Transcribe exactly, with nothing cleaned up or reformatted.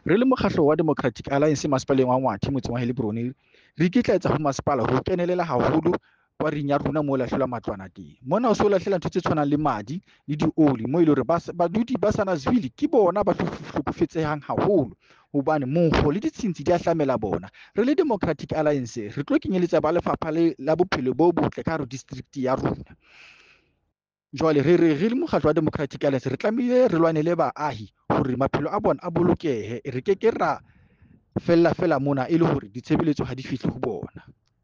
Re le mokgahlo wa Democratic Alliance masepaleng wa Ngwathe motseng wa Heilbron, re ikitlaetsa ho masepala ho kenelela haholo kwaring ya rona moo lahlela matlwana teng. Mona o so lahlela ntho tse tshwanang le madi le dioli mo e leng hore badudi ba Sanniesville ke bona ba hlokofetsehang haholo hobane monkgo le ditshintshi di ahlamela bona. Re le Democratic Alliance re tlo kenyeletsa ba lefapha la bophelo bo botle ka hare ho district ya rona. Jwale re re re le mokgatlo wa Democratic Alliance re tlamehile re lwanele baahi hore maphelo a bona a bolokehe. Re ke ke ra fella fela mona e le hore ditshebeletso ha di fihle ho bona.